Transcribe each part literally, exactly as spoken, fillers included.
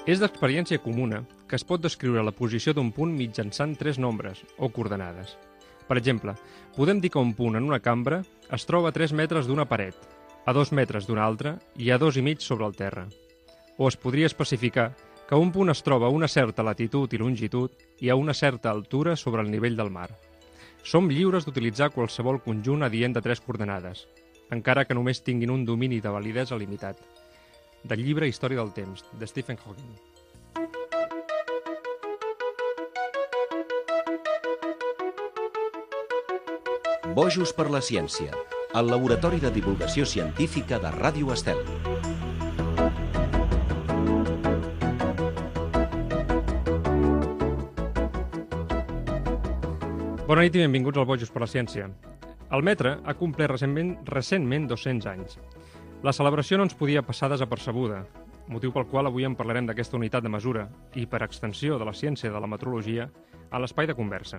És d'experiència comuna que es pot descriure la posició d'un punt mitjançant tres nombres o coordenades. Per exemple, podem dir que un punt en una cambra es troba a tres metres d'una paret, a dos metres d'una altra i a dos i mig sobre el terra. O es podria especificar que un punt es troba a una certa latitud i longitud i a una certa altura sobre el nivell del mar. Som lliures d'utilitzar qualsevol conjunt adient de tres coordenades, encara que només tinguin un domini de validesa limitat. Del llibre Història del temps, de Stephen Hawking. Bojos per la ciència, el laboratori de divulgació científica de Ràdio Estel. Bona nit i benvinguts al Bojos per la ciència. El metre ha complert recentment, recentment dos-cents anys. La celebració no ens podia passar desapercebuda, motiu pel qual avui en parlarem d'aquesta unitat de mesura i, per extensió de la ciència de la metrologia, a l'espai de conversa.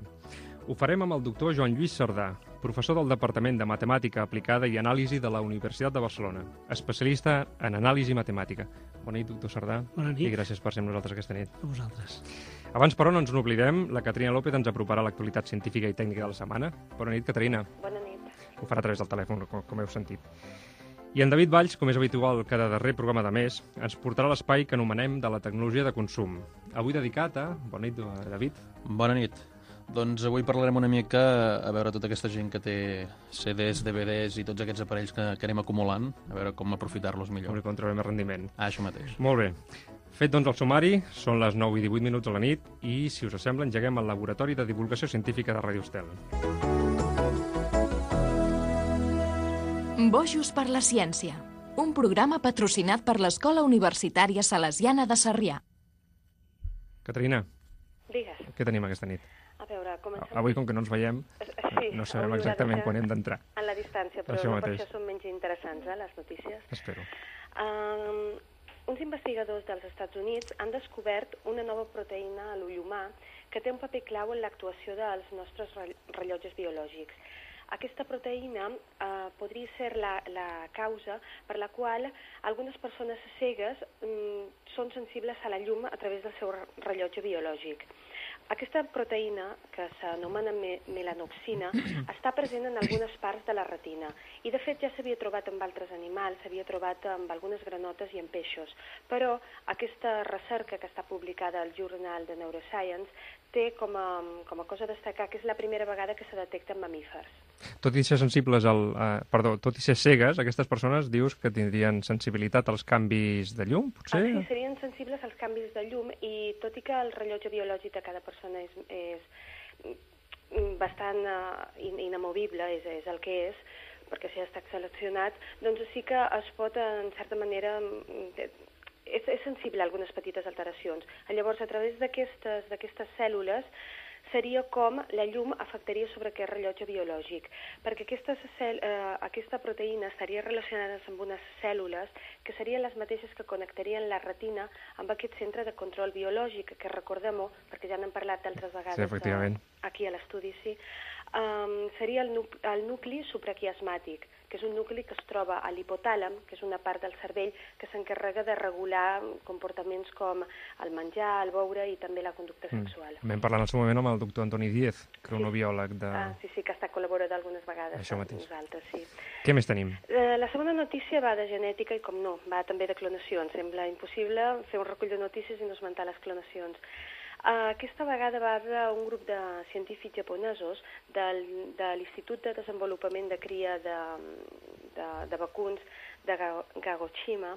Ho farem amb el doctor Joan Lluís Cerdà, professor del Departament de Matemàtica Aplicada i Anàlisi de la Universitat de Barcelona, especialista en anàlisi matemàtica. Bona nit, doctor Cerdà. Bona nit. I gràcies per ser amb nosaltres aquesta nit. A vosaltres. Abans, però, no ens n'oblidem, la Caterina López ens aproparà l'actualitat científica i tècnica de la setmana. Bona nit, Caterina. Bona nit. Ho farà a través del telèfon, com, com heu sentit. I en David Valls, com és habitual cada darrer programa de mes, ens portarà l'espai que anomenem de la tecnologia de consum. Avui dedicat a... Bona nit, David. Bona nit. Doncs avui parlarem una mica a veure tota aquesta gent que té C Ds, D V Ds i tots aquests aparells que, que anem acumulant, a veure com aprofitar-los millor. Com trobem més rendiment. Ah, això mateix. Molt bé. Fet doncs el sumari, són les nou i divuit minuts a la nit i, si us sembla, engeguem el Laboratori de Divulgació Científica de Ràdio Estel. Bojos per la ciència, un programa patrocinat per l'Escola Universitària Salesiana de Sarrià. Caterina, Digues. què tenim aquesta nit? A veure, comencem... Avui, com que no ens veiem, Sí, no sabem avui exactament haurà de quan ser hem d'entrar. En la distància, però Això no per mateix. això són menys interessants, eh, les notícies. Espero. Um, uns investigadors dels Estats Units han descobert una nova proteïna a l'ull humà que té un paper clau en l'actuació dels nostres rellotges biològics. Aquesta proteïna eh, podria ser la, la causa per la qual algunes persones cegues mm, són sensibles a la llum a través del seu rellotge biològic. Aquesta proteïna, que s'anomena me melanoxina, està present en algunes parts de la retina i, de fet, ja s'havia trobat en altres animals, s'havia trobat amb algunes granotes i en peixos, però aquesta recerca que està publicada al Journal de Neuroscience té com a, com a cosa a destacar que és la primera vegada que se detecta en mamífers. Tot i ser sensibles al... Eh, perdó, tot i ser cegues, aquestes persones dius que tindrien sensibilitat als canvis de llum, potser? Ah, sí, serien sensibles als canvis de llum i tot i que el rellotge biològic de cada persona és, és bastant uh, inamovible, és, és el que és, perquè si ha estat seleccionat, doncs sí que es pot, en certa manera, és, és sensible a algunes petites alteracions. Llavors, a través d'aquestes d'aquestes cèl·lules, seria com la llum afectaria sobre aquest rellotge biològic, perquè aquesta, cel, eh, aquesta proteïna estaria relacionada amb unes cèl·lules que serien les mateixes que connectarien la retina amb aquest centre de control biològic, que recordem-ho, perquè ja n'hem parlat d'altres vegades sí, efectivament. a, aquí a l'estudi, sí, um, seria el, nu el nucli supraquiasmàtic, que és un nucli que es troba a l'hipotàlam, que és una part del cervell que s'encarrega de regular comportaments com el menjar, el beure i també la conducta sexual. Mm. Vam parlar en el seu moment amb el doctor Antoni Díez, cronobiòleg de... Ah, sí, sí, que està col·laborat algunes vegades Això amb mateix. nosaltres, sí. Què més tenim? Eh, la segona notícia va de genètica i, com no, va també de clonacions. Sembla impossible fer un recull de notícies i no esmentar les clonacions. Uh, aquesta vegada va d'un grup de científics japonesos del, de l'Institut de Desenvolupament de Cria de, de, de Vacuns de Kagoshima,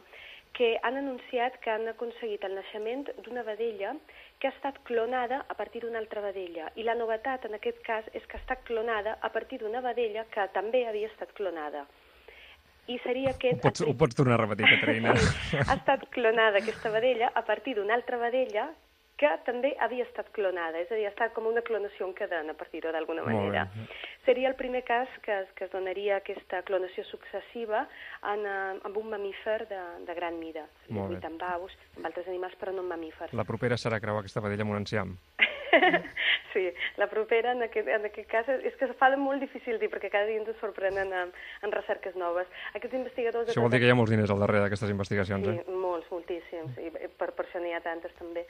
que han anunciat que han aconseguit el naixement d'una vedella que ha estat clonada a partir d'una altra vedella. I la novetat en aquest cas és que ha estat clonada a partir d'una vedella que també havia estat clonada. I seria aquest... Ho pots, ho pots tornar a repetir, Caterina. Sí, ha estat clonada aquesta vedella a partir d'una altra vedella que també havia estat clonada, és a dir, ha estat com una clonació en cadena, per dir-ho d'alguna manera. Seria el primer cas que es, que es donaria aquesta clonació successiva en, en un mamífer de, de gran mida. Vuit amb aus, amb altres animals, però no en mamífers. La propera serà creuar aquesta vedella amb un enciam. Sí, la propera en aquest, en aquest cas és que es fa molt difícil dir perquè cada dia ens sorprenen en, en recerques noves. Aquests investigadors... Això vol dir que hi ha molts diners al darrere d'aquestes investigacions, sí, eh? Sí, molts, moltíssims, i per, per això n'hi ha tantes també.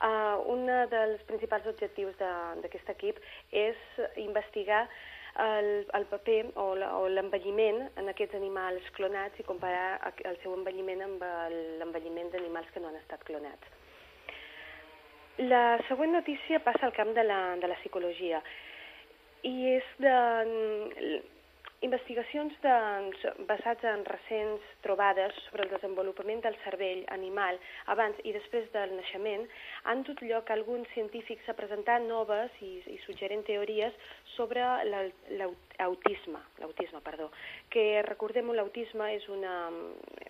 Uh, un dels principals objectius d'aquest equip és investigar el, el paper o l'envelliment en aquests animals clonats i comparar el seu envelliment amb l'envelliment d'animals que no han estat clonats. La següent notícia passa al camp de la, de la psicologia i és de investigacions de, basades en recents trobades sobre el desenvolupament del cervell animal abans i després del naixement han dut lloc a alguns científics a presentar noves i, i suggerent teories sobre l'autisme, l'autisme, perdó, que recordem, l'autisme és una,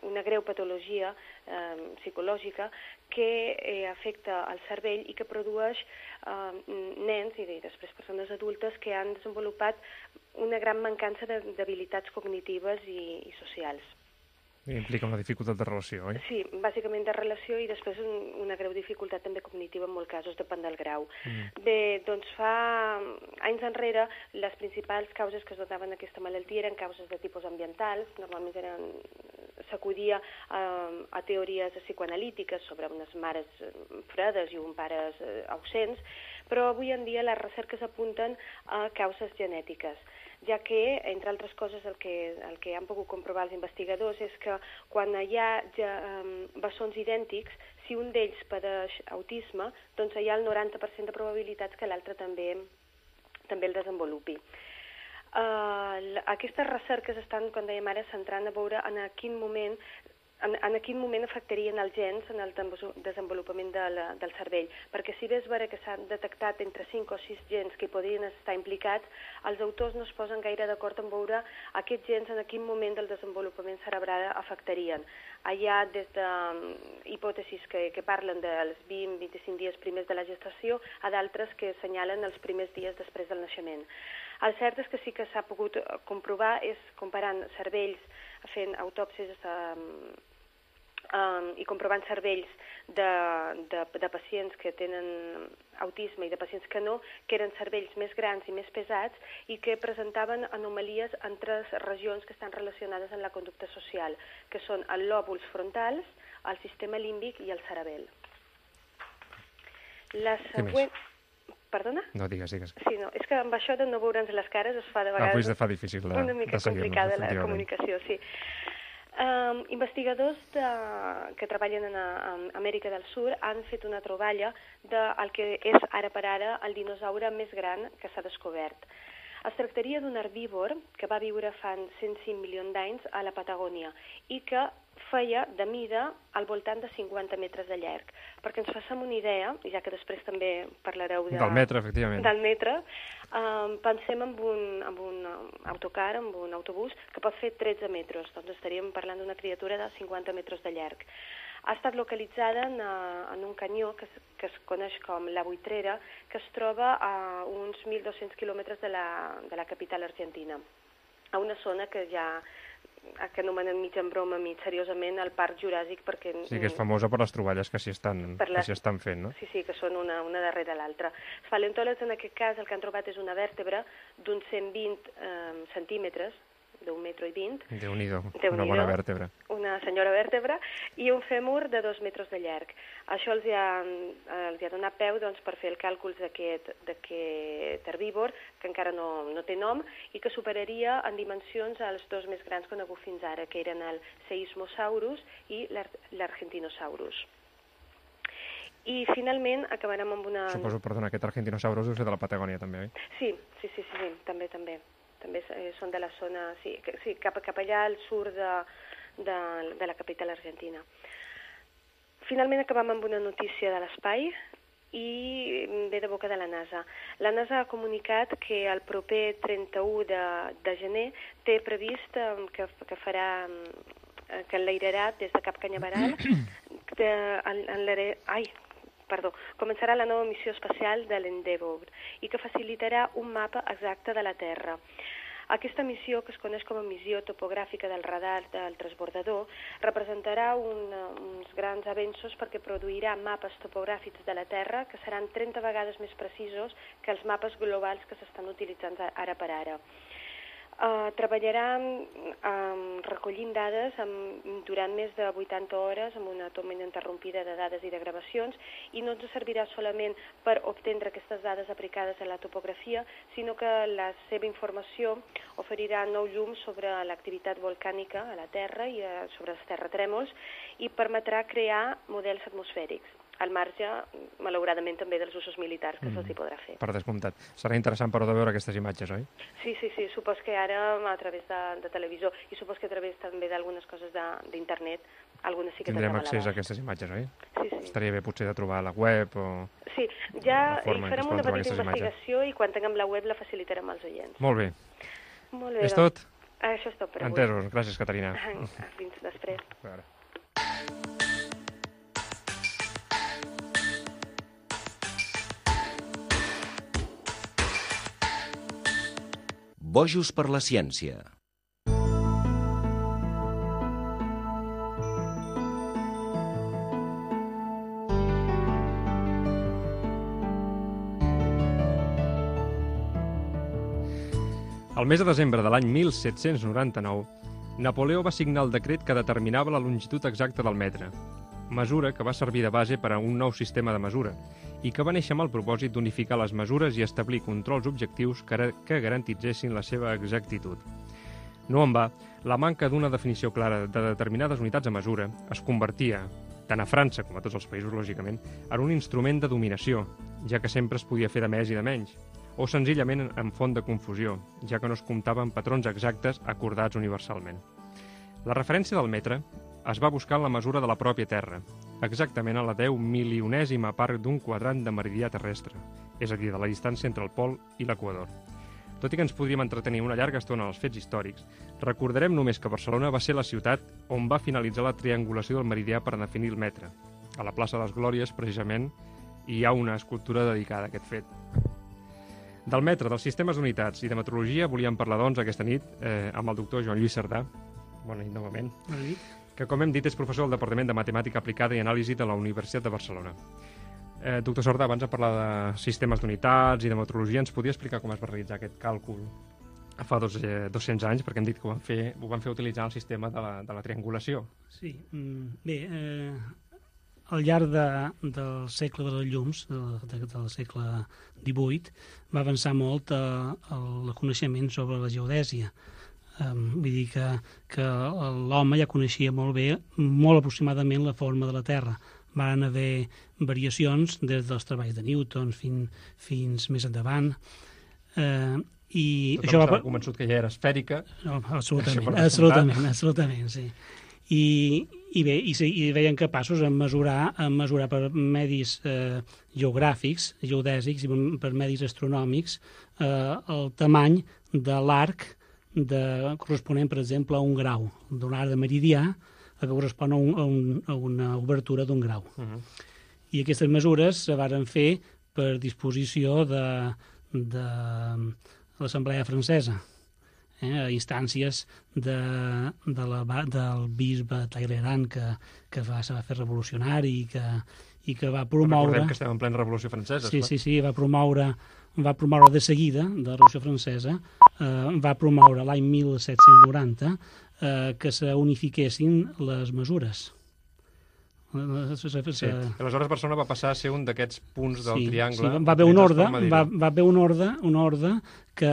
una greu patologia eh, psicològica que eh, afecta el cervell i que produeix eh, nens i després persones adultes que han desenvolupat una gran mancança d'habilitats cognitives i, i socials. I implica una dificultat de relació, oi? Sí, bàsicament de relació i després un, una greu dificultat també cognitiva en molts casos, depèn del grau. Mm. Bé, doncs fa anys enrere les principals causes que es donaven aquesta malaltia eren causes de tipus ambientals, normalment eren s'acudia a, a teories psicoanalítiques sobre unes mares fredes i uns pares ausents, però avui en dia les recerques apunten a causes genètiques, ja que, entre altres coses, el que, el que han pogut comprovar els investigadors és que quan hi ha ja, um, bessons idèntics, si un d'ells padeix autisme, doncs hi ha el noranta per cent de probabilitats que l'altre també, també el desenvolupi. Uh, aquestes recerques estan, com dèiem ara, centrant a veure en a quin moment En, en quin moment afectarien els gens en el desenvolupament de la, del cervell, perquè si bé és vera que s'han detectat entre cinc o sis gens que podrien estar implicats, els autors no es posen gaire d'acord en veure aquests gens en quin moment del desenvolupament cerebral afectarien. Hi ha des de um, hipòtesis que, que parlen dels vint a vint-i-cinc dies primers de la gestació a d'altres que assenyalen els primers dies després del naixement. El cert és que sí que s'ha pogut comprovar és comparant cervells, fent autòpsies um, Um, i comprovant cervells de, de, de pacients que tenen autisme i de pacients que no, que eren cervells més grans i més pesats i que presentaven anomalies en tres regions que estan relacionades amb la conducta social, que són els lòbuls frontals, el sistema límbic i el cerebel. La següent... Perdona? No, digues, digues. Sí, no, és que amb això de no veure'ns les cares es fa de vegades... Ah, pues fa difícil de, una mica de seguir-nos, complicada la comunicació, sí. Um, investigadors de, que treballen a, a Amèrica del Sud han fet una troballa del que és ara per ara el dinosaure més gran que s'ha descobert. Es tractaria d'un herbívor que va viure fa cent cinc milions d'anys a la Patagònia i que feia de mida al voltant de cinquanta metres de llarg. Perquè ens façam una idea, ja que després també parlareu de, del metre, efectivament. Del metre, um, pensem en un, en un autocar, en un autobús, que pot fer tretze metres. Doncs estaríem parlant d'una criatura de cinquanta metres de llarg. Ha estat localitzada en, en un canyó que es, que es coneix com la Buitrera, que es troba a uns mil dos-cents quilòmetres de la, de la capital argentina, a una zona que ja que anomenen mig en broma, mig seriosament, el Parc Juràssic, perquè... Sí, que és famosa per les troballes que s'hi estan, les... que s'hi estan fent, no? Sí, sí, que són una, una darrere l'altra. Els paleontòlegs, en aquest cas, el que han trobat és una vèrtebra d'uns cent vint eh, centímetres, d'un metro i vint. Déu-n'hi-do, Déu una bona vèrtebra. Una senyora vèrtebra, i un fèmur de dos metres de llarg. Això els hi ha, els hi ha donat peu doncs, per fer el càlcul d'aquest herbívor, que encara no, no té nom, i que superaria en dimensions els dos més grans coneguts fins ara, que eren el Seismosaurus i l'Argentinosaurus. I finalment acabarem amb una... Suposo, perdona, aquest Argentinosaurus deu ser de la Patagònia també, oi? Sí, sí, sí, sí, sí també, també. També són de la zona, sí, sí cap, cap allà al sud de, de, de la capital argentina. Finalment acabem amb una notícia de l'espai i ve de boca de la NASA. La NASA ha comunicat que el proper trenta-u de, de gener té previst que, que farà, que enlairarà des de Cap Canyaveral de, en, en ai, Perdó, començarà la nova missió espacial de l'Endeavour i que facilitarà un mapa exacte de la Terra. Aquesta missió, que es coneix com a missió topogràfica del radar del transbordador, representarà un, uns grans avenços perquè produirà mapes topogràfics de la Terra que seran trenta vegades més precisos que els mapes globals que s'estan utilitzant ara per ara. Uh, treballarà um, recollint dades amb, durant més de vuitanta hores amb una toma ininterrompida de dades i de gravacions, i no ens servirà solament per obtindre aquestes dades aplicades a la topografia, sinó que la seva informació oferirà nou llum sobre l'activitat volcànica a la Terra i uh, sobre els terratrèmols, i permetrà crear models atmosfèrics, al marge, malauradament, també dels usos militars que mm. se'ls hi podrà fer. Per descomptat. Serà interessant, però, de veure aquestes imatges, oi? Sí, sí, sí. Supos que ara, a través de, de televisió, i supos que a través també d'algunes coses d'internet, algunes sí que tindrem accés a aquestes imatges, oi? Sí, sí. Estaria bé, potser, de trobar a la web o... Sí, ja hi farem una petita investigació i quan tinguem la web la facilitarem als oients. Molt bé. Molt bé. És tot? Això és tot per avui. Entesos. Gràcies, Caterina. Fins després. A veure. Bojos per la ciència. El mes de desembre de l'any mil set-cents noranta-nou, Napoleó va signar el decret que determinava la longitud exacta del metre, mesura que va servir de base per a un nou sistema de mesura i que va néixer amb el propòsit d'unificar les mesures i establir controls objectius que, que garantitzessin la seva exactitud. No en va, la manca d'una definició clara de determinades unitats de mesura es convertia, tant a França com a tots els països, lògicament, en un instrument de dominació, ja que sempre es podia fer de més i de menys, o senzillament en font de confusió, ja que no es comptaven patrons exactes acordats universalment. La referència del metre es va buscar en la mesura de la pròpia Terra, exactament a la deu milionèsima part d'un quadrant de meridià terrestre, és a dir, de la distància entre el pol i l'equador. Tot i que ens podríem entretenir una llarga estona en els fets històrics, recordarem només que Barcelona va ser la ciutat on va finalitzar la triangulació del meridià per definir el metre. A la plaça de les Glòries, precisament, hi ha una escultura dedicada a aquest fet. Del metre, dels sistemes d'unitats i de metrologia volíem parlar, doncs, aquesta nit eh, amb el doctor Joan Lluís Cerdà. Bona nit, novament. Bona nit. Que, com hem dit, és professor del Departament de Matemàtica Aplicada i Anàlisi de la Universitat de Barcelona. Eh, doctor Cerdà, abans de parlar de sistemes d'unitats i de metrologia, ens podia explicar com es va realitzar aquest càlcul fa dos, eh, dos-cents anys, perquè hem dit que ho van fer, ho van fer utilitzant el sistema de la, de la triangulació. Sí, bé, eh, al llarg de, del segle de les llums, de, de, del segle divuit, va avançar molt eh, el coneixement sobre la geodèsia. Um, vull dir que, que l'home ja coneixia molt bé, molt aproximadament, la forma de la Terra. Van haver variacions des dels treballs de Newton fins, fins més endavant. Uh, i Tothom això estava va... convençut que ja era esfèrica. No, absolutament, absolutament, absolutament, sí. I, i bé, i, i veien capaços de mesurar, a mesurar per medis eh, geogràfics, geodèsics i per medis astronòmics eh, el tamany de l'arc de, corresponent, per exemple, a un grau, d'un arc de meridià, que correspon a, un, a, un, a una obertura d'un grau. Uh -huh. I aquestes mesures se varen fer per disposició de, de l'Assemblea Francesa, eh, a instàncies de, de la, del bisbe Talleyrand, que, que va, se va fer revolucionari i que, i que va promoure... Recordem que estem en plena Revolució Francesa. Sí, clar. sí, sí, va promoure, va promoure de seguida, de la Revolució Francesa, eh, va promoure l'any mil set-cents noranta eh, que s'unifiquessin les mesures. Sí. Aleshores Barcelona va passar a ser un d'aquests punts del sí, triangle. Sí, va haver un ordre, va, va haver un ordre, un ordre que,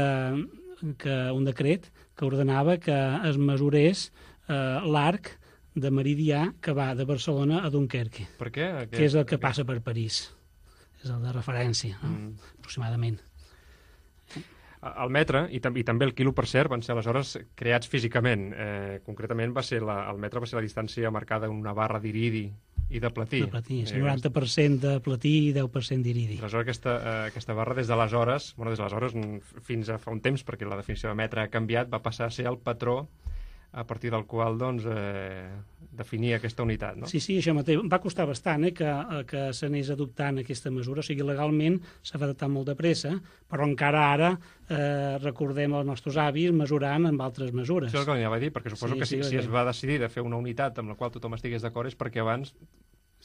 que un decret que ordenava que es mesurés eh, l'arc de meridià que va de Barcelona a Dunkerque. Per què? Aquest, que és el que aquest... passa per París. És el de referència, no? Mm. Aproximadament. El metre i, tam i també el quilo, per cert, van ser aleshores creats físicament. Eh, concretament, va ser la, el metre va ser la distància marcada en una barra d'iridi i de platí. De platí, sí, noranta per cent de platí i deu per cent d'iridi. Aleshores, aquesta, eh, aquesta barra, des d'aleshores, bueno, des d'aleshores fins a fa un temps, perquè la definició de metre ha canviat, va passar a ser el patró a partir del qual doncs, eh, definir aquesta unitat. No? Sí, sí, això mateix. Va costar bastant eh, que, que s'anés adoptant aquesta mesura. O sigui, legalment s'ha adoptat molt de pressa, però encara ara eh, recordem els nostres avis mesurant amb altres mesures. Això és el que anava a dir, perquè suposo Sí, que si, sí, si perquè- es va decidir de fer una unitat amb la qual tothom estigués d'acord és perquè abans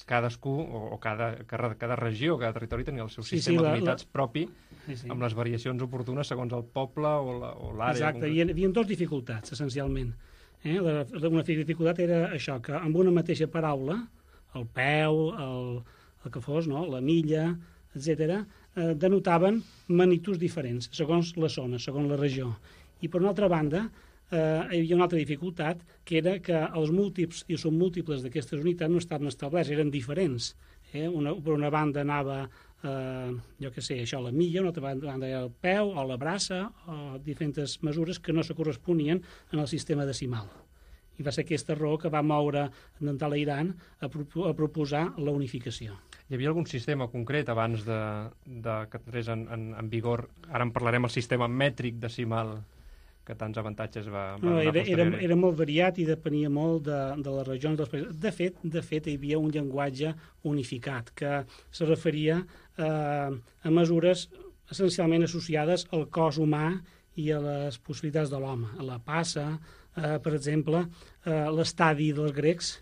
cadascú, o, o cada, cada, cada regió, cada territori tenia el seu Sí, sí, sistema la- d'unitats la- propi, Sí, sí. amb les variacions oportunes segons el poble o la- o l'àrea. Exacte, hi havia dues dificultats, essencialment. Eh? La, una dificultat era això, que amb una mateixa paraula, el peu, el, el que fos, no? la milla, etcètera, eh, denotaven magnituds diferents, segons la zona, segons la regió. I per una altra banda, eh, hi havia una altra dificultat, que era que els múltiples i submúltiples d'aquestes unitats no estaven establerts, eren diferents. Eh? Una, per una banda anava eh, jo què sé, això, la milla, una altra banda era el peu o la braça, o diferents mesures que no se corresponien en el sistema decimal. I va ser aquesta raó que va moure en Talleyrand a, pro a proposar la unificació. Hi havia algun sistema concret abans de, de que entrés en, en, en vigor? Ara en parlarem, el sistema mètric decimal, que tants avantatges va, va No, donar era, era, posteriori. era molt variat i depenia molt de, de les regions dels països. De fet, de fet, hi havia un llenguatge unificat que se referia eh, a mesures essencialment associades al cos humà i a les possibilitats de l'home. A la passa, eh, per exemple, eh, l'estadi dels grecs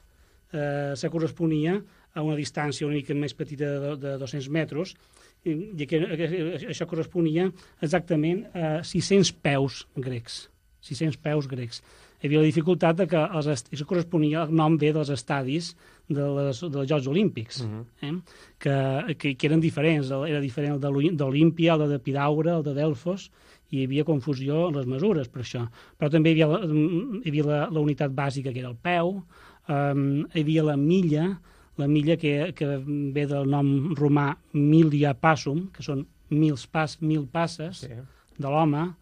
eh, se corresponia a una distància una mica més petita de, de dos-cents metres, i, i que, que, això corresponia exactament a sis-cents peus grecs. sis-cents peus grecs. Hi havia la dificultat de que els est... això corresponia al nom bé dels estadis de les, dels Jocs Olímpics, uh -huh. eh? que, que, que eren diferents. Era diferent el d'Olímpia, el de Pidaure, el de Delfos, i hi havia confusió en les mesures per això. Però també hi havia la, hi havia la, la unitat bàsica, que era el peu, um, hi havia la milla, la milla que, que ve del nom romà milia passum, que són mil, pas, mil passes Sí. de l'home,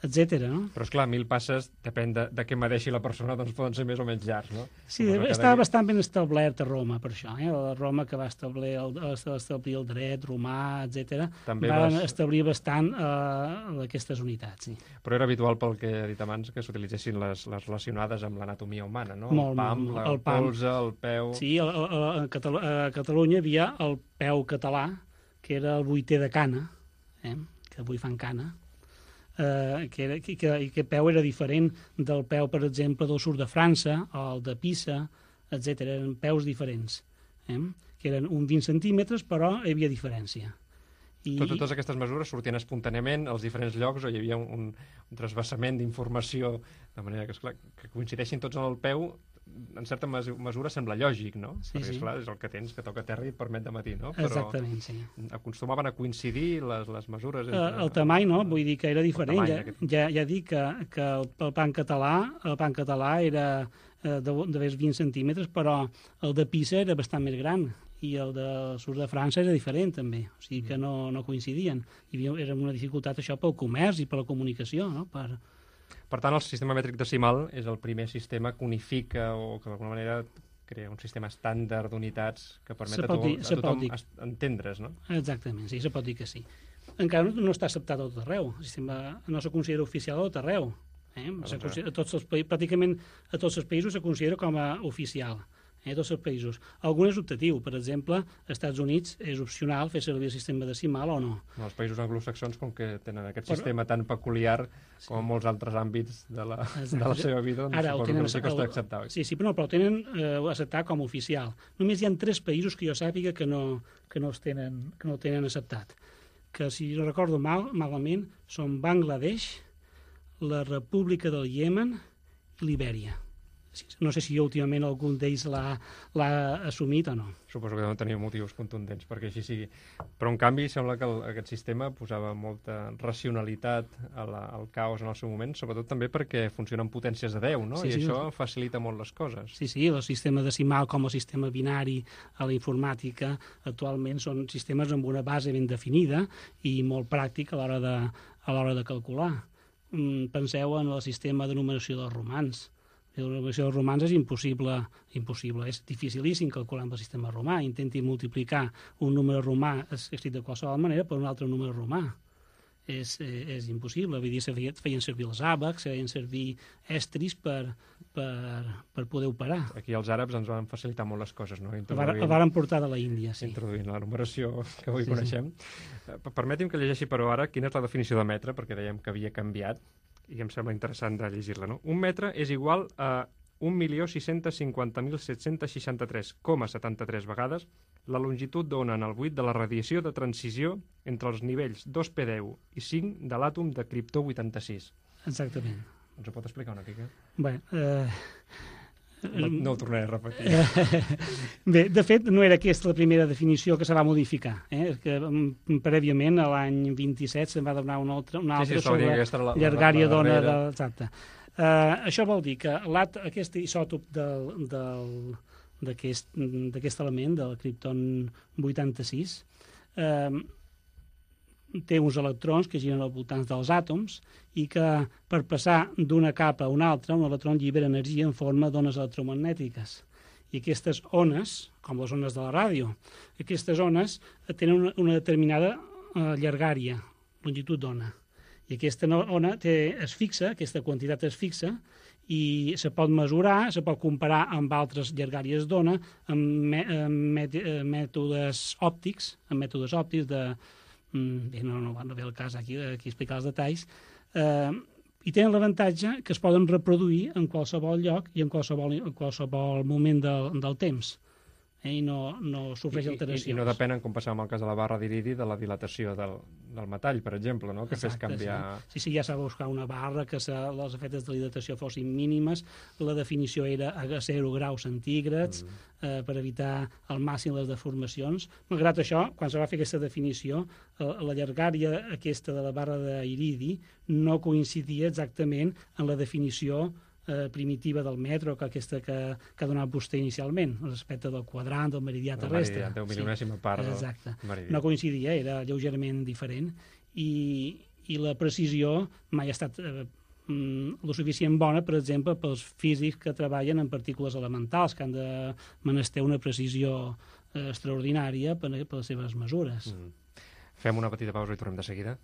etcètera. No? Però, esclar, mil passes, depèn de, de què medeixi la persona, doncs poden ser més o menys llargs, no? Sí, Suposo que estava cada- bastant ben establert a Roma, per això. Eh? La Roma que va establir el, establir el dret romà, etcètera, També van vas- establir bastant eh, aquestes unitats. Sí. Però era habitual, pel que he dit abans, que s'utilitzessin les, les relacionades amb l'anatomia humana, no? Molt, el pam, molt, la, el el pam. polze, el peu... Sí, a, a, a, Catalu a Catalunya hi havia el peu català, que era el vuitè de cana, eh? que avui fan cana, eh, que, era, que, que, i que peu era diferent del peu, per exemple, del sud de França, o el de Pisa, etcètera. Eren peus diferents, eh? que eren uns vint centímetres, però hi havia diferència. I... Tot, totes aquestes mesures sortien espontàniament als diferents llocs o hi havia un, un, un trasbassament d'informació, de manera que, esclar, que coincideixin tots en el peu, en certa mesura sembla lògic, no? Sí, Perquè, sí. esclar, és el que tens, que toca terra i et permet de matí, no? Però Exactament, sí. acostumaven a coincidir les, les mesures... Eh, el tamany, no? Vull dir que era diferent. tamany Ja, aquest. ja, ja dic que, que el, el pan català el pan català era eh, de, de més vint centímetres, però el de Pisa era bastant més gran i el del sud de França era diferent, també. O sigui que no, no coincidien. Hi havia, era una dificultat, això, pel comerç i per la comunicació, no? Per... Per tant, el sistema mètric decimal és el primer sistema que unifica o que d'alguna manera crea un sistema estàndard d'unitats que permet Se a, pot to dir- a se pot tothom dir. es- entendre's, no? Exactament, sí, se pot dir que sí. Encara no, no està acceptat a tot arreu. El sistema no se considera oficial a tot arreu. Eh? Se considera, a tots els països, pràcticament a tots els països se considera com a oficial. Eh? A tots els països. Algun és optatiu. Per exemple, als Estats Units és opcional fer servir el sistema decimal o no. En els països anglosaxons, com que tenen aquest Però- sistema tan peculiar com en molts altres àmbits de la, Exacte. de la seva vida, doncs Ara, el suposo tenen, que sí que el- està acceptat. Sí, sí, però, no, però el tenen eh, acceptat com a oficial. Només hi ha tres països que jo sàpiga que no, que no, els tenen, que no el tenen acceptat. Que, si no recordo mal, malament, són Bangladesh, la República del Iemen i Libèria. No sé si últimament algun d'ells l'ha assumit o no. Suposo que deuen tenir motius contundents perquè així sigui. Però, en canvi, sembla que el, aquest sistema posava molta racionalitat a la, al caos en el seu moment, sobretot també perquè funciona amb potències de deu, no? Sí, I sí, això facilita molt les coses. Sí, sí, el sistema decimal com el sistema binari a la informàtica actualment són sistemes amb una base ben definida i molt pràctic a l'hora de, a l'hora de calcular. Mm, penseu en el sistema de numeració dels romans. La numeració dels romans és impossible, impossible, és dificilíssim calcular amb el sistema romà. Intenti multiplicar un número romà escrit de qualsevol manera per un altre número romà. és, és impossible. Vull dir, se feien, feien servir els àbacs, feien servir estris per, per, per poder operar. Aquí els àrabs ens van facilitar molt les coses, no? El varen portar de la Índia, sí. Introduint la numeració que avui sí, coneixem. Sí. Permeti'm que llegeixi, però, ara quina és la definició de metre, perquè dèiem que havia canviat, i em sembla interessant de llegir-la, no? Un metre és igual a un milió sis-cents cinquanta mil set-cents seixanta-tres coma setanta-tres vegades la longitud d'ona en el buit de la radiació de transició entre els nivells dos pe deu i cinc de l'àtom de criptó vuitanta-sis. Exactament. Ens ho pot explicar una mica? Bé, eh... no, no ho tornaré a repetir. Bé, de fet, no era aquesta la primera definició que se va modificar. Eh? Que, prèviament, a l'any vint-i-set, se'n va donar una altra, una altra sí, sí, sobre la, llargària d'ona. De... Exacte. Uh, això vol dir que aquest isòtop del, del, d'aquest element, del cripton vuitanta-sis, uh, té uns electrons que giren al voltant dels àtoms i que per passar d'una capa a una altra, un electron llibera energia en forma d'ones electromagnètiques. I aquestes ones, com les ones de la ràdio, aquestes ones tenen una, una determinada uh, llargària, longitud d'ona. I aquesta ona té, es fixa, aquesta quantitat es fixa, i se pot mesurar, se pot comparar amb altres llargàries d'ona, amb, me, amb met, mètodes òptics, amb mètodes òptics de... Bé, no, no, no ve el cas aquí, aquí explicar els detalls, eh, i tenen l'avantatge que es poden reproduir en qualsevol lloc i en qualsevol, en qualsevol moment del, del temps. Eh, i no, no sofreix alteracions. I, i, I no depenen, com passava amb el cas de la barra d'iridi, de la dilatació del, del metall, per exemple, no? Que Exacte, fes canviar... Sí, sí, sí, ja s'ha de buscar una barra que se, els efectes de dilatació fossin mínimes, la definició era a zero graus centígrads, mm. eh, per evitar al màxim les deformacions. Malgrat això, quan se va fer aquesta definició, eh, la llargària aquesta de la barra d'iridi no coincidia exactament en la definició Eh, primitiva del metro, que aquesta que, que ha donat vostè inicialment, respecte del quadrant, del meridià terrestre. El meridià, deu milionèsima part del Exacte. meridià. No coincidia, era lleugerament diferent, i, i la precisió mai ha estat eh, lo suficient bona, per exemple, pels físics que treballen en partícules elementals, que han de menester una precisió eh, extraordinària per, per les seves mesures. Mm. Fem una petita pausa i tornem de seguida.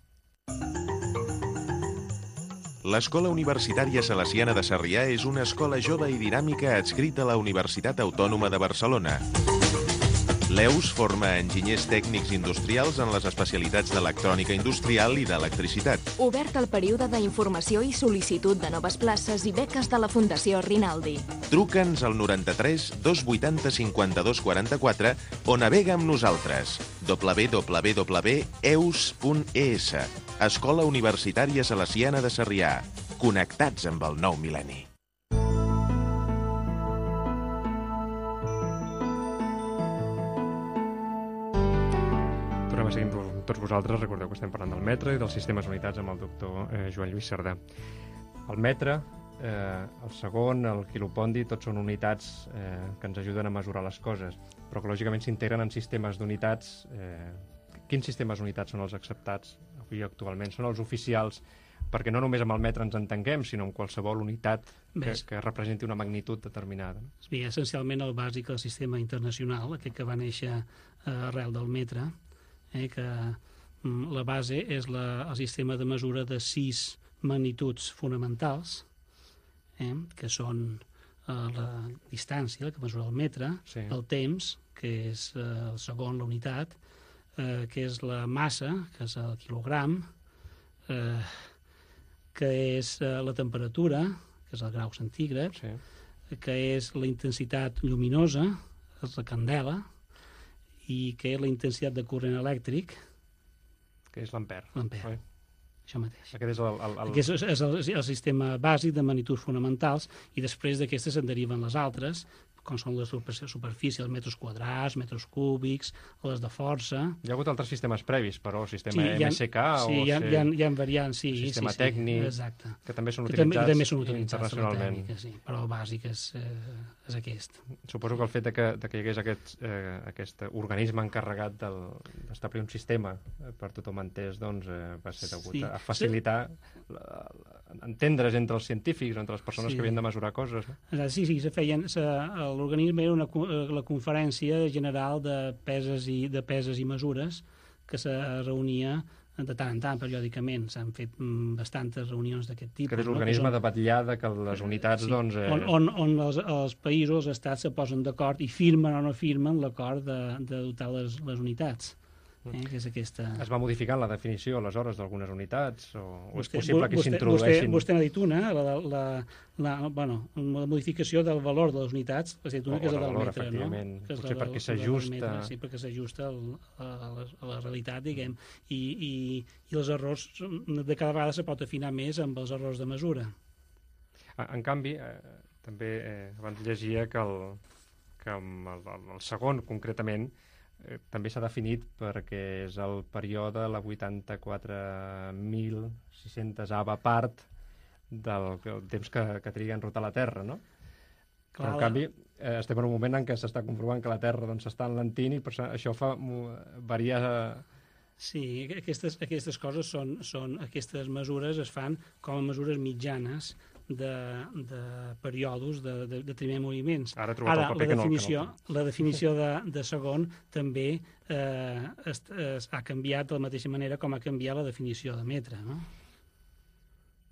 L'Escola Universitària Salesiana de Sarrià és una escola jove i dinàmica adscrita a la Universitat Autònoma de Barcelona. L'E U S forma enginyers tècnics industrials en les especialitats d'electrònica industrial i d'electricitat. Obert el període d'informació i sol·licitud de noves places i beques de la Fundació Rinaldi. Truca'ns al noranta-tres dos vuitanta cinquanta-dos quaranta-quatre o navega amb nosaltres. w w w punt e u s punt e s. Escola Universitària Salesiana de Sarrià. Connectats amb el nou mil·lenni. Tornem a seguir amb tots vosaltres. Recordeu que estem parlant del metre i dels sistemes unitats amb el doctor eh, Joan Lluís Cerdà. El metre, eh, el segon, el quilopondi, tots són unitats eh, que ens ajuden a mesurar les coses, però que lògicament s'integren en sistemes d'unitats. Eh, quins sistemes d'unitats són els acceptats avui actualment? Són els oficials, perquè no només amb el metre ens entenguem, sinó amb qualsevol unitat que, que representi una magnitud determinada. Bé, essencialment el bàsic del sistema internacional, aquest que va néixer eh, arrel del metre, eh, que mm, la base és la, el sistema de mesura de sis magnituds fonamentals, eh, que són eh, la distància, que mesura el metre, sí. El temps, que és eh, el segon, la unitat, eh, que és la massa, que és el quilogram, eh, que és eh, la temperatura, que és el grau centígrad, sí. Que és la intensitat lluminosa, és la candela, i que és la intensitat de corrent elèctric, que és l'ampere. L'ampere, això mateix. Aquest és el, el, el... Aquest és, és el, el sistema bàsic de magnituds fonamentals, i després d'aquestes se'n deriven les altres, com són les superfícies, els metres quadrats, metres cúbics, les de força... Hi ha hagut altres sistemes previs, però sistema sí, M S K ha, o... Sí, hi ha, hi ha, hi ha variants, sí. Sistema sí, tècnic, sí, exacte. que també són que utilitzats, també, també són utilitzats internacionalment. Tècnica, sí, però el bàsic és, eh, és aquest. Suposo que el fet de que, de que hi hagués aquest, eh, aquest organisme encarregat d'establir un sistema per tothom entès, doncs, eh, va ser degut sí. a facilitar sí. la, la, entendre's entre els científics, entre les persones sí. que havien de mesurar coses. No? Sí, sí, se feien... L'organisme era una, la Conferència General de Peses i, de Peses i Mesures, que se reunia de tant en tant, periòdicament, s'han fet mm, bastantes reunions d'aquest tipus. Que és l'organisme no? de vetllada que les unitats, sí, doncs... Eh... On, on, on els, els països, els estats, se posen d'acord i firmen o no firmen l'acord de, de dotar les, les unitats. Eh, que és aquesta... Es va modificant la definició, aleshores, d'algunes unitats? O, o és vostè, possible que vostè, s'introdueixin... Vostè, vostè n'ha dit una, la, la, la, la, bueno, la modificació del valor de les unitats, ha dit una, o, que és la del del valor, metre, efectivament. no? Que és Potser la, perquè la, s'ajusta... metre, sí, perquè s'ajusta a, la, a la realitat, diguem, i, i, i els errors, de cada vegada se pot afinar més amb els errors de mesura. En canvi, eh, també eh, abans llegia que el, que el, el, el segon, concretament, Eh, també s'ha definit perquè és el període, la vuitanta-quatre mil sis-centesava part del, del temps que, que triga en rotar la Terra, no? Clar, però, en canvi, eh, estem en un moment en què s'està comprovant que la Terra doncs, s'està enlentint i per això fa variar... Sí, aquestes, aquestes coses són, són... Aquestes mesures es fan com a mesures mitjanes de, de periodos de, de, de primer moviments. Ara, Ara el la, definició, no, no. la definició de, de segon també eh, es, es, ha canviat de la mateixa manera com ha canviat la definició de metre, no?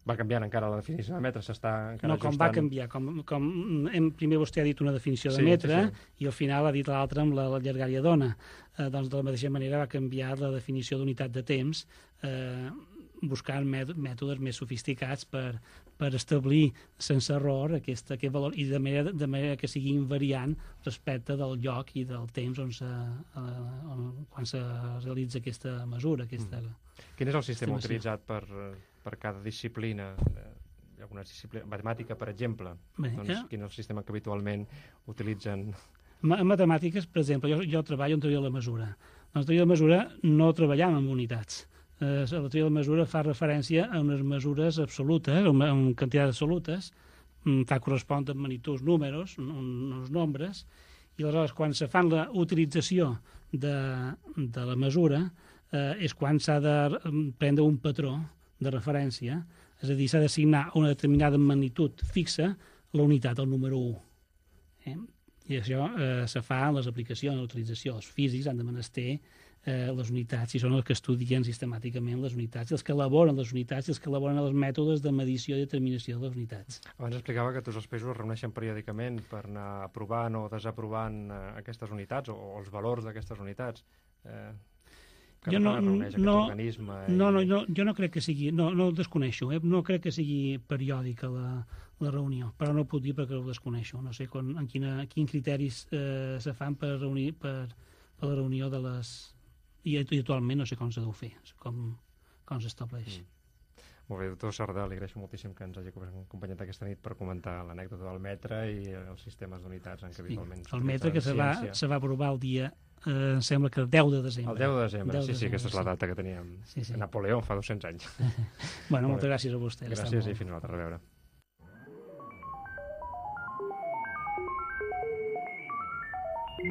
Va canviant encara la definició de metre, s'està encara no, com ajustant. va canviar. Com, com hem, primer vostè ha dit una definició de sí, metre sí, sí. i al final ha dit l'altra amb la, la llargària d'ona. Eh, doncs de la mateixa manera va canviar la definició d'unitat de temps eh, buscant mètodes més sofisticats per, per establir sense error aquest, aquest valor i de manera, de manera que sigui invariant respecte del lloc i del temps on se, on, quan se realitza aquesta mesura. Aquesta, mm. Quin és el sistema estimació. utilitzat per, per cada disciplina? Alguna disciplina, matemàtica, per exemple. Bé, doncs, eh? Quin és el sistema que habitualment utilitzen? En matemàtiques, per exemple, jo, jo treballo en teoria de la mesura. En teoria de la mesura no treballem amb unitats. Eh, la teoria de la mesura fa referència a unes mesures absolutes, a una quantitat absolutes, fa correspon amb magnituds números, uns nombres, i aleshores quan se fan la utilització de, de la mesura eh, és quan s'ha de prendre un patró de referència, és a dir, s'ha d'assignar una determinada magnitud fixa la unitat, el número u. Eh? I això eh, se fa en les aplicacions, en l'utilització. Els físics han de menester eh, les unitats, i són els que estudien sistemàticament les unitats, i els que elaboren les unitats, i els que elaboren els mètodes de medició i determinació de les unitats. Abans explicava que tots els països es reuneixen periòdicament per anar aprovant o desaprovant eh, aquestes unitats, o, o els valors d'aquestes unitats. Eh, que jo no, es reuneix aquest no, organisme. No, i... no, no, jo no crec que sigui, no, no ho desconeixo, eh? No crec que sigui periòdica la, la reunió, però no ho puc dir perquè ho desconeixo. No sé con, en quina, quins criteris eh, se fan per, reunir, per, per la reunió de les... I, i actualment no sé com s'ha de fer, com, com s'estableix. Mm. Molt bé, doctor Sardà, li agraeixo moltíssim que ens hagi acompanyat aquesta nit per comentar l'anècdota del metre i els sistemes d'unitats en què habitualment... Sí, el metre que se va, se va aprovar el dia, eh, em sembla que el deu de desembre. El deu de desembre, deu sí, de sí, aquesta és la sí. data que teníem. Sí, sí. Napoleó fa dos-cents anys. Bueno, moltes gràcies a vostè. Gràcies i fins una altra, a reveure.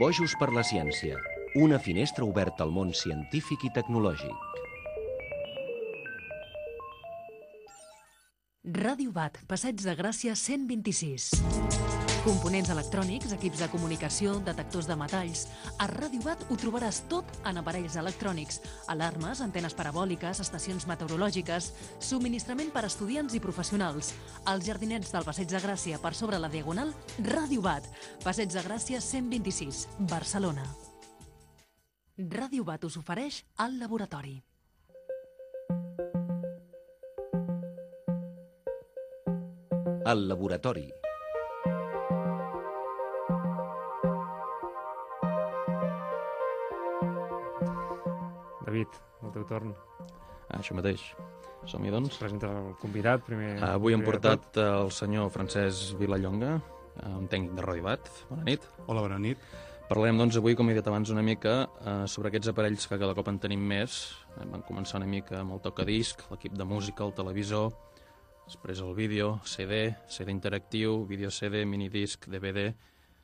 Bojos per la ciència, una finestra oberta al món científic i tecnològic. Ràdio Bat, Passeig de Gràcia cent vint-i-sis. Components electrònics, equips de comunicació, detectors de metalls... A Ràdio Bat ho trobaràs tot en aparells electrònics, alarmes, antenes parabòliques, estacions meteorològiques, subministrament per a estudiants i professionals. Als jardinets del Passeig de Gràcia, per sobre la Diagonal, Ràdio Bat, Passeig de Gràcia cent vint-i-sis, Barcelona. Ràdio Bat us ofereix al laboratori. El laboratori. David, el teu torn. Ah, això mateix. Som-hi, doncs. Presenta el convidat, primer... Ah, avui hem primer portat el senyor Francesc Vilallonga, un tècnic de Ràdio Bat. Bona nit. Hola, bona nit. Parlarem, doncs, avui, com he dit abans, una mica eh, sobre aquests aparells que cada cop en tenim més. Eh, van començar una mica amb el tocadisc, l'equip de música, el televisor, després el vídeo, C D, C D interactiu, vídeo C D, minidisc, D V D,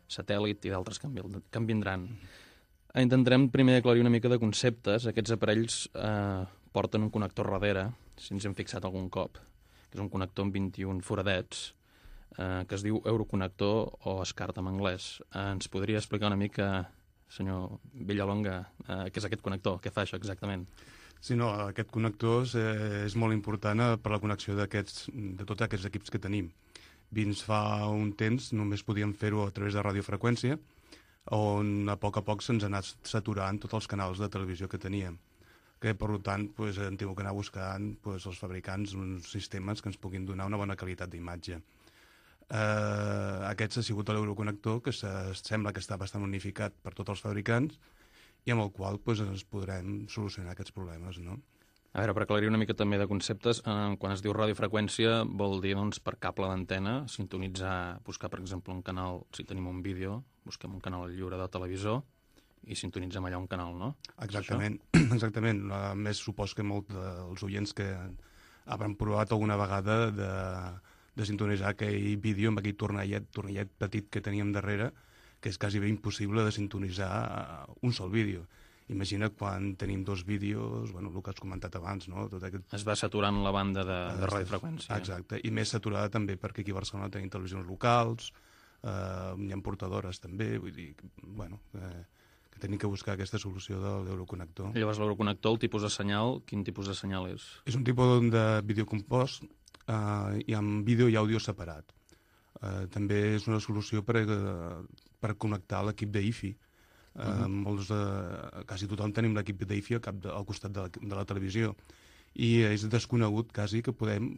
satèl·lit i d'altres que, que en vindran. Intentarem primer aclarir una mica de conceptes. Aquests aparells eh, porten un connector darrere, si ens hem fixat algun cop, que és un connector amb vint-i-un foradets, eh, que es diu Euroconnector o SCART en anglès. Eh, ens podria explicar una mica, senyor Villalonga, eh, què és aquest connector? Què fa això exactament? Sí, no, aquest connector és, és molt important eh, per la connexió d'aquests, de tots aquests equips que tenim. Fins fa un temps només podíem fer-ho a través de radiofreqüència, on a poc a poc se'ns ha anat saturant tots els canals de televisió que teníem. Que, per tant, pues, hem tingut que anar buscant pues, els fabricants uns sistemes que ens puguin donar una bona qualitat d'imatge. Eh, aquest ha sigut l'Euroconnector, que se, sembla que està bastant unificat per tots els fabricants, i amb el qual pues, ens podrem solucionar aquests problemes, no? A veure, per aclarir una mica també de conceptes, eh, quan es diu radiofreqüència vol dir doncs, per cable d'antena, sintonitzar, buscar per exemple un canal, si tenim un vídeo, busquem un canal lliure de televisor i sintonitzem allà un canal, no? Exactament, exactament. A més, supos que molts dels oients que hauran provat alguna vegada de, de sintonitzar aquell vídeo amb aquell tornellet, tornellet petit que teníem darrere, que és quasi bé impossible de sintonitzar un sol vídeo. Imagina quan tenim dos vídeos, bueno, el que has comentat abans, no? Tot aquest... Es va saturant la banda de, de radiofreqüència. Exacte, i més saturada també perquè aquí a Barcelona tenim televisions locals, eh, hi ha portadores també, vull dir, bueno, eh, que tenim que buscar aquesta solució de l'Euroconnector. Llavors l'Euroconnector, el tipus de senyal, quin tipus de senyal és? És un tipus de videocompost eh, i amb vídeo i àudio separat. Eh, també és una solució per, eh, per connectar l'equip d'I F I. Uh -huh. uh, molts, uh, quasi tothom tenim l'equip d'I F I al, cap de, al costat de la, de la televisió i és desconegut quasi que podem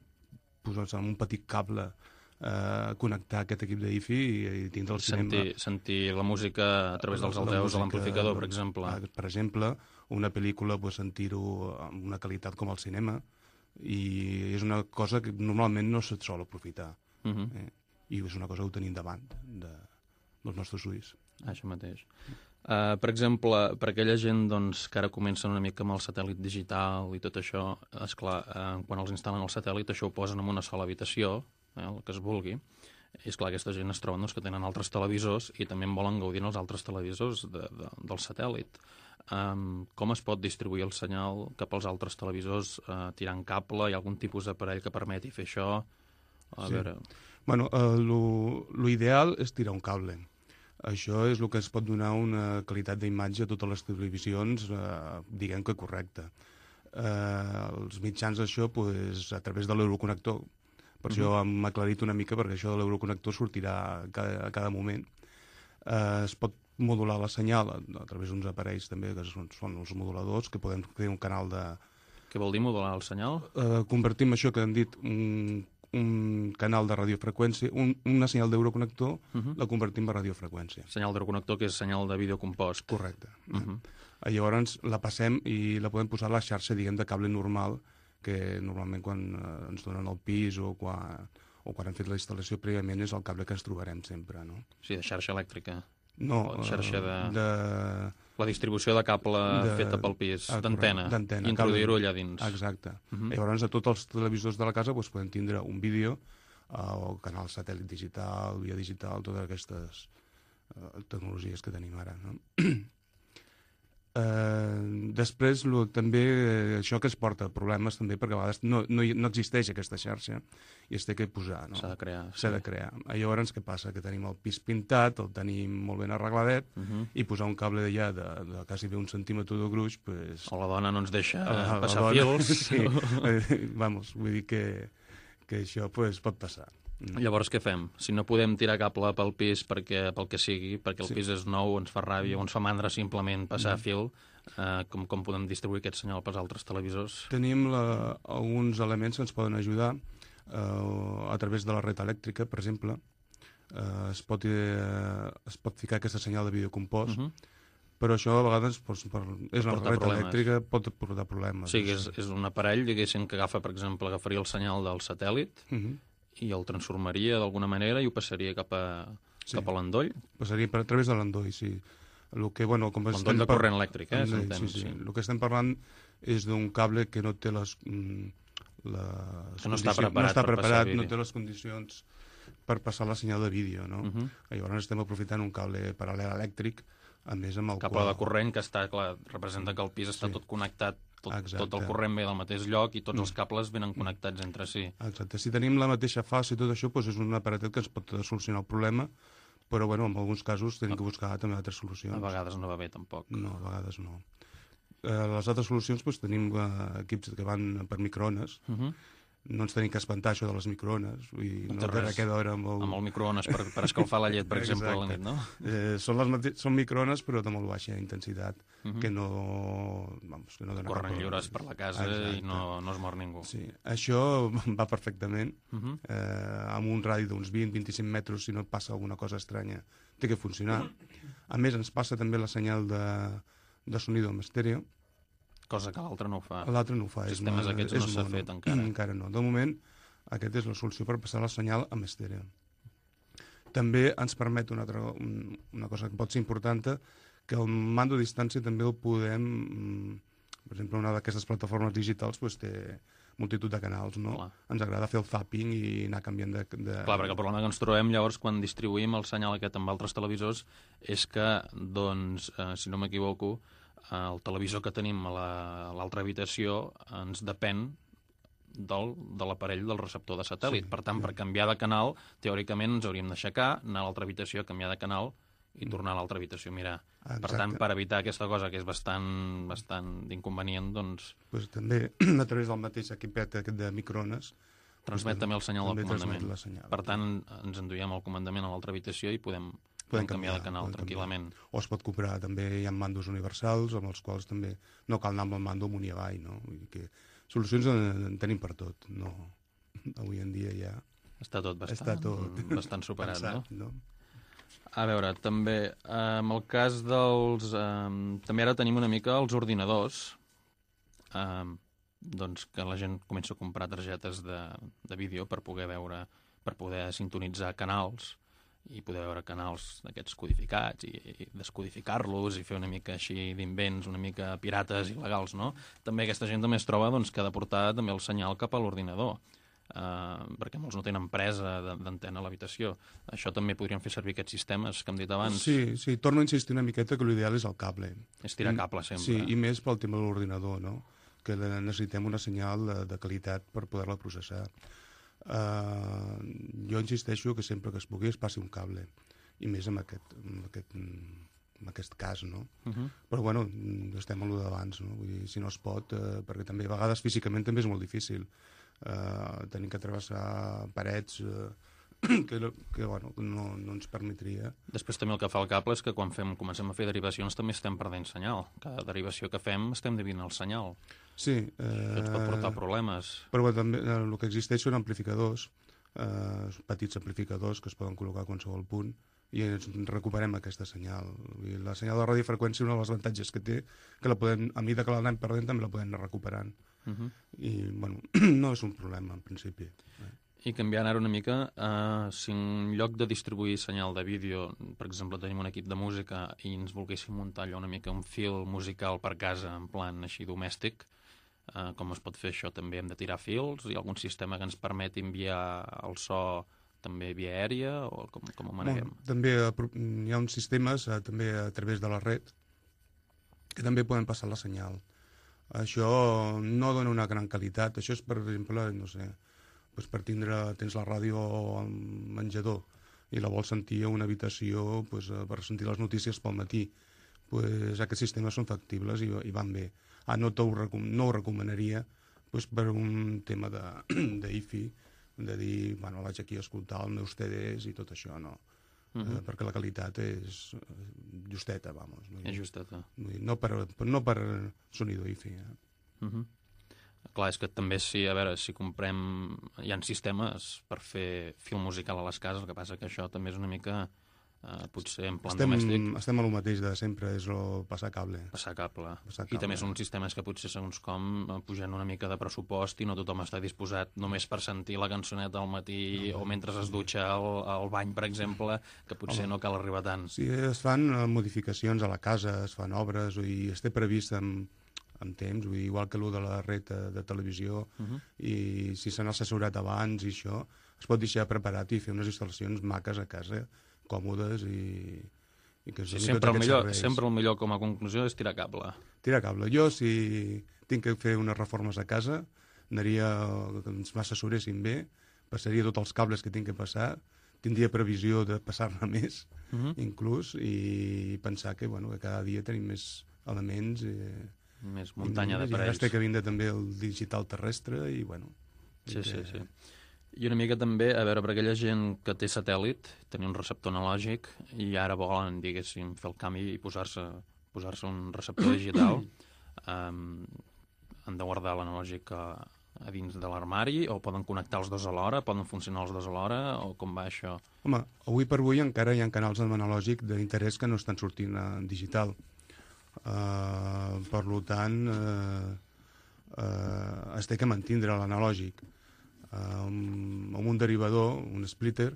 posar en un petit cable uh, connectar aquest equip d'I F I i, i tindre el sentir, cinema... Sentir la música a través dels altaveus de l'amplificador, per exemple. Per exemple, una pel·lícula, pues, sentir-ho amb una qualitat com el cinema, i és una cosa que normalment no se't sol aprofitar. Uh -huh. eh? I és una cosa que ho tenim davant de, dels nostres ulls. Això mateix. Uh, per exemple, per aquella gent doncs, que ara comencen una mica amb el satèl·lit digital i tot això, esclar, uh, quan els instal·len el satèl·lit, això ho posen en una sola habitació, eh, el que es vulgui, i esclar, aquesta gent es troben doncs, que tenen altres televisors i també en volen gaudir els altres televisors de, de, del satèl·lit. Um, com es pot distribuir el senyal cap als altres televisors, uh, tirant cable? Hi ha algun tipus d'aparell que permeti fer això? A sí. veure... Bueno, uh, l'ideal és tirar un cable. Això és el que es pot donar una qualitat d'imatge a totes les televisions, eh, diguem que correcta. Eh, els mitjans d'això, pues, a través de l'Euroconnector, per uh-huh. això hem aclarit una mica, perquè això de l'Euroconnector sortirà a cada, a cada moment. Eh, es pot modular la senyal a, a través d'uns aparells també, que són, són els moduladors, que podem fer un canal de... Què vol dir modular el senyal? Eh, convertim això que hem dit, un un canal de radiofreqüència, un, una senyal d'Euroconnector, uh -huh. la convertim en radiofreqüència. Senyal d'Euroconnector, que és senyal de videocompost. Correcte. Uh -huh. eh? Llavors la passem i la podem posar a la xarxa, diguem, de cable normal, que normalment quan eh, ens donen el pis o quan, o quan hem fet la instal·lació prèviament és el cable que ens trobarem sempre, no? Sí, de xarxa elèctrica. No, la xarxa de... de... La distribució de cable de... feta pel pis, ah, d'antena, i introduir-ho allà dins. Exacte. Uh -huh. Llavors, a tots els televisors de la casa doncs, podem tindre un vídeo, uh, o canal satèl·lit digital, via digital, totes aquestes uh, tecnologies que tenim ara, no? Uh, després, lo, també, eh, això que es porta problemes també, perquè a vegades no, no, no existeix aquesta xarxa i es té que posar, no? S'ha de crear. S'ha sí. de crear. Llavors, què passa? Que tenim el pis pintat, el tenim molt ben arregladet, uh -huh. i posar un cable d'allà de, de quasi bé un centímetre de gruix, pues... O la dona no ens deixa la, passar la dona, fils. Sí, vamos, vull dir que, que això pues, pot passar. Llavors què fem? Si no podem tirar cable pel pis perquè, pel que sigui, perquè el sí. pis és nou, ens fa ràbia, o ens fa mandra simplement passar mm. fil, eh, com, com podem distribuir aquest senyal pels altres televisors? Tenim la, alguns elements que ens poden ajudar eh, a través de la red elèctrica, per exemple. Eh, es, pot, eh, es pot ficar aquesta senyal de videocompost, uh -huh. però això a vegades doncs, per, és una red elèctrica, pot portar problemes. Sí, és, és un aparell, diguéssim, que agafa, per exemple, agafaria el senyal del satèl·lit, uh -huh. i el transformaria d'alguna manera i ho passaria cap a, sí. cap a l'endoll? Passaria per a través de l'endoll, sí. El que, bueno, com l'endoll de corrent elèctric, eh? Sí, sí. sí. El que estem parlant és d'un cable que no té les... les que no està preparat, no, està per preparat no té les condicions per passar la senyal de vídeo, no? Uh -huh. Llavors estem aprofitant un cable paral·lel elèctric, a més amb el cable qual... de corrent que està, clar, representa que el pis està sí. tot connectat. Tot, tot el corrent ve del mateix lloc i tots mm. els cables venen connectats entre si. Exacte. Si tenim la mateixa fase i tot això, doncs és un aparatet que ens pot solucionar el problema, però bueno, en alguns casos tenim que buscar també altres solucions. A vegades no va bé, tampoc. No, a vegades no. eh, les altres solucions doncs, tenim eh, equips que van per microones. Uh -huh. No ens tenim que espantar això de les microones. Vull dir, no res, cada hora amb el... amb el microones per, per escalfar la llet, per exemple, a la nit, no? Eh, són, les mate... són microones, però de molt baixa intensitat, uh -huh. que no... Vamos, que no donen corren lliures per la casa. Exacte. I no, no es mor ningú. Sí. Això va perfectament. Uh -huh. eh, amb un radi d'uns vint a vint-i-cinc metres, si no passa alguna cosa estranya, té que funcionar. A més, ens passa també la senyal de, de sonido en estèreo, cosa que l'altre no ho fa. L'altre no ho fa. Sistemes aquests no s'ha fet encara. Encara no. De moment, aquesta és la solució per passar la senyal amb estèreo. També ens permet una, altra, una cosa que pot ser important, que el mando a distància també el podem... Per exemple, una d'aquestes plataformes digitals doncs, té multitud de canals, no? Clar. Ens agrada fer el zapping i anar canviant de, de... Clar, perquè el problema que ens trobem llavors quan distribuïm el senyal aquest amb altres televisors és que, doncs, eh, si no m'equivoco, el televisor que tenim a l'altra habitació ens depèn del, de l'aparell del receptor de satèl·lit. Sí, per tant, sí. Per canviar de canal, teòricament ens hauríem d'aixecar, anar a l'altra habitació, canviar de canal i tornar a l'altra habitació a mirar. Exacte. Per tant, per evitar aquesta cosa que és bastant, bastant d'inconvenient, doncs... Pues també, a través del mateix equipet aquest de microones... Transmet també el senyal del comandament. Senyal. Per tant, ens enduiem el comandament a l'altra habitació i podem... Podem canviar, canviar de canal tranquil·lament. Canviar. O es pot comprar, també hi ha mandos universals, amb els quals també no cal anar amb el mando amunt i avall, no? Vull dir que solucions en, en tenim per tot, no? Avui en dia ja... Està tot bastant, Està tot bastant superat, pensat, no? no? A veure, també, en el cas dels... Eh, també ara tenim una mica els ordinadors, eh, doncs que la gent comença a comprar targetes de, de vídeo per poder veure, per poder sintonitzar canals, i poder veure canals d'aquests codificats i, i descodificar-los i fer una mica així d'invents, una mica pirates il·legals, no? També aquesta gent també es troba doncs, que ha de portar també el senyal cap a l'ordinador, uh, perquè molts no tenen presa d'antena a l'habitació. Això també podrien fer servir aquests sistemes que hem dit abans. Sí, sí, torno a insistir una miqueta que l'ideal és el cable. És tirar cable sempre. Sí, i més pel tema de l'ordinador, no? Que necessitem una senyal de, de qualitat per poder-la processar. Uh, jo insisteixo que sempre que es pugui es passi un cable, i més en aquest, en aquest, en aquest cas, no? Uh -huh. Però bueno, estem a lo d'abans, no? Vull dir, si no es pot, uh, perquè també a vegades físicament també és molt difícil. Uh, tenim que travessar parets uh, que, que bueno, no, no ens permetria. Després també el que fa el cable és que quan fem, comencem a fer derivacions també estem perdent senyal. Cada derivació que fem estem dividint el senyal. Sí. Eh, Això ens pot portar problemes. Però bueno, també eh, el que existeix són amplificadors, eh, petits amplificadors que es poden col·locar a qualsevol punt, i ens recuperem aquesta senyal. I la senyal de radiofreqüència, un dels avantatges que té, que la podem, a mesura que l'anem perdent també la podem anar recuperant. Uh -huh. I bueno, no és un problema en principi. Eh? I canviant ara una mica, eh, si en lloc de distribuir senyal de vídeo, per exemple, tenim un equip de música i ens volguéssim muntar allò una mica un fil musical per casa, en plan així domèstic, eh, com es pot fer això? També hem de tirar fils? Hi ha algun sistema que ens permeti enviar el so també via aèria? O com, com ho maneguem? Bueno, també hi ha uns sistemes, eh, també a través de la red, que també poden passar la senyal. Això no dona una gran qualitat. Això és, per exemple, no sé... Pues per tindre, tens la ràdio al menjador i la vols sentir a una habitació pues, per sentir les notícies pel matí. Pues, aquests sistemes són factibles i, i van bé. Ah, no, ho, no ho recomanaria pues, per un tema d'I-Fi, de dir, bueno, vaig aquí a escoltar els meus C Ds i tot això, no. Uh -huh. eh, perquè la qualitat és justeta, vamos. És justeta. No per, no per sonido I-Fi. Eh? Uh -huh. Clar, és que també si, a veure, si comprem... Hi ha sistemes per fer fil musical a les cases, el que passa que això també és una mica, eh, potser en plan estem, domèstic... Estem a lo mateix de sempre, és el passar cable. Passar cable. Passar cable. I també són sistemes que potser, segons com, pugen una mica de pressupost i no tothom està disposat només per sentir la cançoneta al matí no, o mentre es dutxa al, al bany, per exemple, que potser Home. no cal arribar tant. Sí, es fan modificacions a la casa, es fan obres, i es té previst amb... amb temps, vull dir, igual que allò de la red de, de televisió, uh -huh. i si s'han assessorat abans i això, es pot deixar preparat i fer unes instal·lacions maques a casa, còmodes i, i que sí, sempre, el millor, sempre el millor com a conclusió és tirar cable. Tirar cable. Jo, si tinc que fer unes reformes a casa, anaria, que ens m'assessoressin bé, passaria tots els cables que tinc que passar, tindria previsió de passar-ne més, uh -huh. inclús, i pensar que, bueno, que cada dia tenim més elements i, més muntanya I d'aparells. ara està que vindre també el digital terrestre i, bueno... Sí, sí, sí. I una mica també, a veure, per aquella gent que té satèl·lit, tenir un receptor analògic, i ara volen, diguéssim, fer el canvi i posar-se posar-se un receptor digital, um, han de guardar l'analògic a, a dins de l'armari, o poden connectar els dos alhora, poden funcionar els dos alhora, o com va això? Home, avui per avui encara hi ha canals analògic d'interès que no estan sortint en digital. Uh, per tant, uh, uh, es té que mantindre l'analògic. Uh, amb un derivador, un splitter,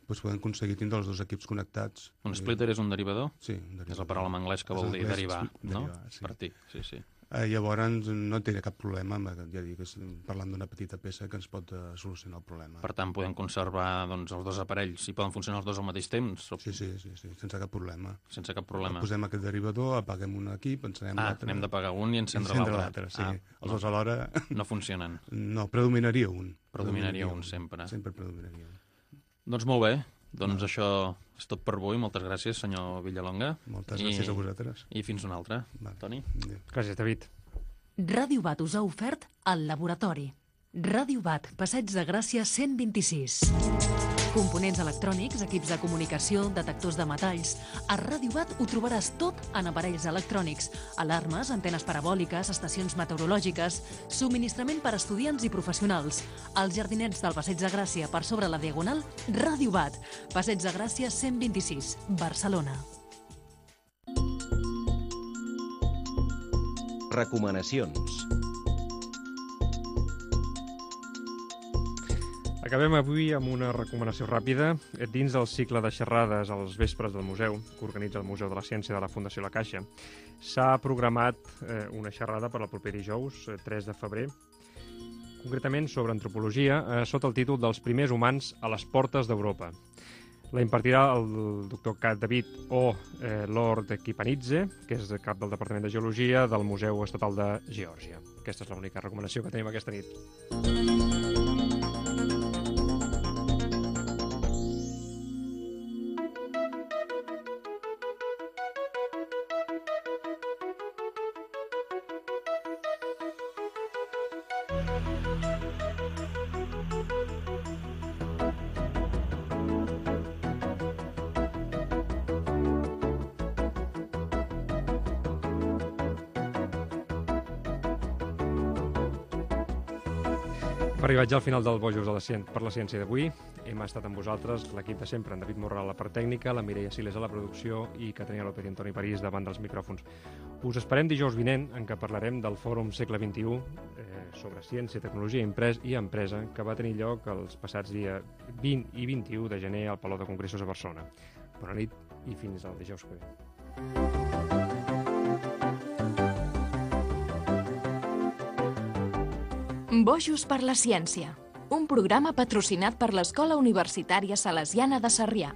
doncs podem aconseguir tindre els dos equips connectats. Un splitter és un derivador? Sí, un derivador. És la paraula en anglès que vol dir derivar, no? Derivar, sí. Partir, sí, sí. Eh, llavors no té cap problema, ja dic, parlant d'una petita peça que ens pot uh, solucionar el problema. Per tant, podem conservar doncs, els dos aparells, si poden funcionar els dos al mateix temps? O... Sí, sí, sí, sí, sense cap problema. Sense cap problema. Posem aquest derivador, apaguem un equip, encenem ah, l'altre. Ah, anem d'apagar un i encendre l'altre. Sí, ah, els dos alhora... No funcionen. No, predominaria un. Predominaria un, sempre. Sempre predominaria un. Doncs molt bé. Doncs no. Això és tot per avui. Moltes gràcies, senyor Villalonga. Moltes I, gràcies a vosaltres. I fins una altra. Va. Toni? Adéu. Gràcies, David. Ràdio Bat us ha ofert el laboratori. Ràdio Bat, Passeig de Gràcia cent vint-i-sis. Components electrònics, equips de comunicació, detectors de metalls... A Ràdio Bat ho trobaràs tot en aparells electrònics, alarmes, antenes parabòliques, estacions meteorològiques, subministrament per a estudiants i professionals. Als jardinets del Passeig de Gràcia, per sobre la Diagonal, Ràdio Bat, Passeig de Gràcia cent vint-i-sis, Barcelona. Recomanacions. Acabem avui amb una recomanació ràpida dins del cicle de xerrades als vespres del museu, que organitza el Museu de la Ciència de la Fundació La Caixa. S'ha programat eh, una xerrada per al proper dijous, eh, tres de febrer, concretament sobre antropologia, eh, sota el títol dels primers humans a les portes d'Europa. La impartirà el doctor Kat David o eh, Lord Kipanidze, que és el cap del Departament de Geologia del Museu Estatal de Geòrgia. Aquesta és l'única recomanació que tenim aquesta nit. Hem arribat ja al final del Bojos de la Ciència, per la Ciència d'avui. Hem estat amb vosaltres, l'equip de sempre, en David Morral a la part tècnica, la Mireia Siles a la producció i Caterina López i Antoni París davant dels micròfons. Us esperem dijous vinent, en què parlarem del Fòrum Segle vint-i-u eh, sobre ciència, tecnologia imprès i empresa, que va tenir lloc els passats dies vint i vint-i-u de gener al Palau de Congressos a Barcelona. Bona nit i fins al dijous que ve. Bojos per la Ciència, un programa patrocinat per l'Escola Universitària Salesiana de Sarrià.